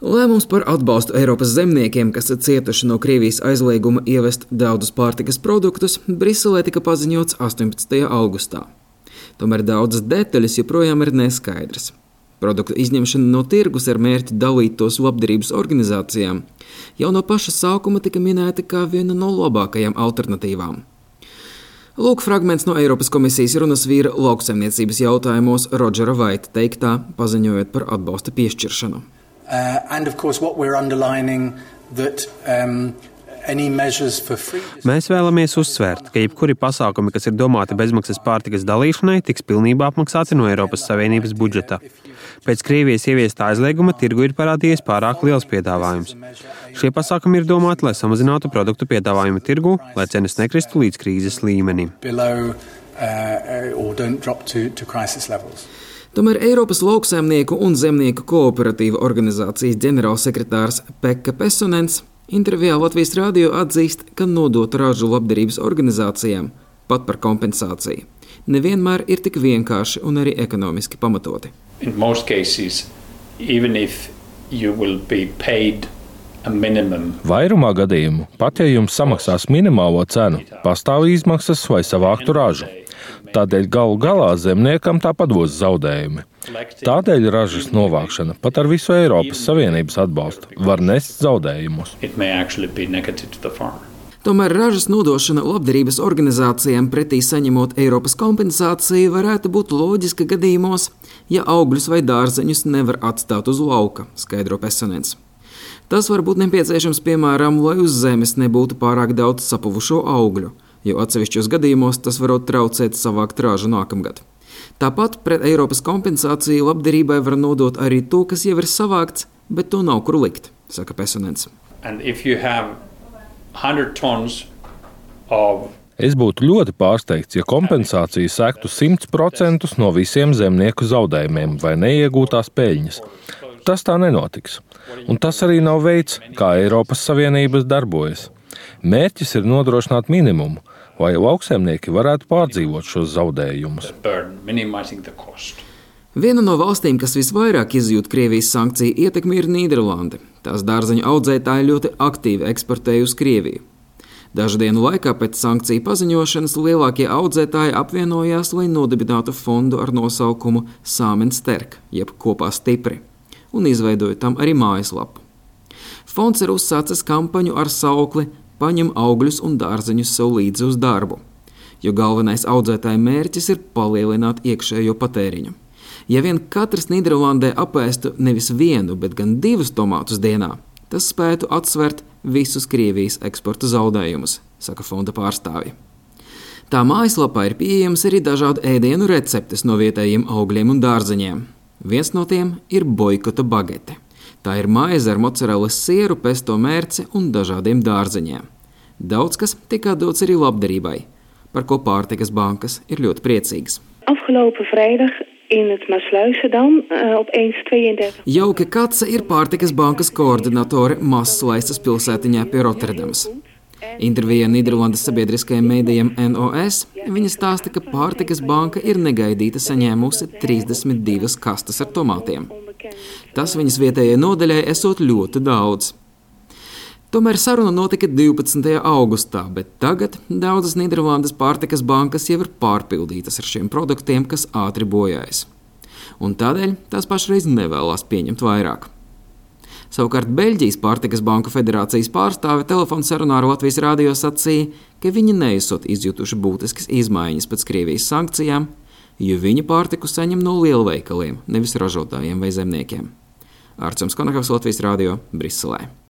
Lēmums par atbalstu Eiropas zemniekiem, kas cietuši no Krievijas aizlieguma ievest daudzus pārtikas produktus, Briselē tika paziņots 18. augustā. Tomēr daudzas detaļas joprojām ir neskaidras. Produktu izņemšana no tirgus ar mērķi dalīt tos labdarības organizācijām jau no paša sākuma tika minēta kā viena no labākajām alternatīvām. Lūk fragments no Eiropas komisijas runas vīra lauksaimniecības jautājumos Rodžera Vaita teiktā, paziņojot par atbalsta piešķiršanu. And of course what we're underlining that Mēs vēlamies uzsvērt, ka jebkuri pasākumi, kas ir domāti bezmaksas pārtikas dalīšanai, tiks pilnībā apmaksāti no Eiropas Savienības budžeta. Pēc Krievijas ieviestā aizlieguma tirgu ir parādījies pārāk liels piedāvājums. Šie pasākumi ir domāti, lai samazinātu produktu piedāvājumu tirgu, lai cenas nekristu līdz krīzes līmenim. Tomēr Eiropas lauksaimnieku un zemnieku kooperatīva organizācijas ģenerālsekretārs Pekka Pesonens intervijā Latvijas Rādio atzīst, ka nodot ražu labdarības organizācijām, pat par kompensāciju, nevienmēr ir tik vienkārši un arī ekonomiski pamatoti. Vairumā gadījumu, pat ja jums samaksās minimālo cenu, pastāv izmaksas vai savāktu ražu. Tādēļ galu galā zemniekam tāpat būs zaudējumi. Tādēļ ražas novākšana pat ar visu Eiropas Savienības atbalstu var nest zaudējumus. Tomēr ražas nodošana labdarības organizācijām pretī saņemot Eiropas kompensāciju varētu būt loģiska gadījumos, ja augļus vai dārzeņus nevar atstāt uz lauka, skaidro Pesonens. Tas var būt nepieciešams, piemēram, lai uz zemes nebūtu pārāk daudz sapuvušo augļu, jo atsevišķos gadījumos tas varot traucēt savākt ražu nākamgad. Tāpat pret Eiropas kompensāciju labdarībai var nodot arī to, kas jau ir savākts, bet to nav kur likt, saka Pesonens. Es būtu ļoti pārsteigts, ja kompensācija sektu 100% no visiem zemnieku zaudējumiem vai neiegūtās peļņas. Tas tā nenotiks. Un tas arī nav veids, kā Eiropas Savienības darbojas. Mērķis ir nodrošināt minimumu, lai lauksaimnieki varētu pārdzīvot šos zaudējumus. Viena no valstīm, kas visvairāk izjūt Krievijas sankciju ietekmi, ir Nīderlande. Tās dārzeņu audzētāji ļoti aktīvi eksportēja uz Krieviju. Dažu dienu laikā pēc sankciju paziņošanas lielākie audzētāji apvienojās, lai nodibinātu fondu ar nosaukumu Sāmen sterk, jeb kopā stipri, un izveidoja tam arī mājaslapu. Fonds ir uzsācis kampaņu ar saukli Paņem augļus un dārzeņus sev līdzi uz darbu, jo galvenais audzētāja mērķis ir palielināt iekšējo patēriņu. Ja vien katrs Nīderlandē apēstu nevis vienu, bet gan 2 tomātus dienā, tas spētu atsvert visus Krievijas eksporta zaudējumus, saka fonda pārstāvji. Tā mājaslapā ir pieejams arī dažādu ēdienu receptes no vietējiem augļiem un dārzeņiem. Viens no tiem ir boikota bagete. Tā ir maize ar mocarelas sieru, pesto mērci un dažādiem dārzeņiem. Daudz kas tika dots arī labdarībai, par ko pārtikas bankas ir ļoti priecīgas. Jauke Katse ir pārtikas bankas koordinatore Maaslaistas pilsētiņā pie Rotterdamas. Intervijā Nīderlandes sabiedriskajiem mēdījiem NOS viņa stāsta, ka pārtikas banka ir negaidīti saņēmusi 32 kastes ar tomātiem. Tas viņas vietējai nodaļai esot ļoti daudz. Tomēr saruna notika 12. augustā, bet tagad daudzas Nīderlandes pārtikas bankas jau ir pārpildītas ar šiem produktiem, kas ātri bojājas. Un tādēļ tās pašreiz nevēlās pieņemt vairāk. Savukārt Beļģijas pārtikas banku federācijas pārstāve telefonsarunā ar Latvijas Rādio sacīja, ka viņi neesot izjutuši būtiskas izmaiņas pēc Krievijas sankcijām, jo viņi pārtiku saņem no lielveikaliem, nevis ražotājiem vai zemniekiem. Ārčuns Konakovs, Latvijas Rādio, Briselē.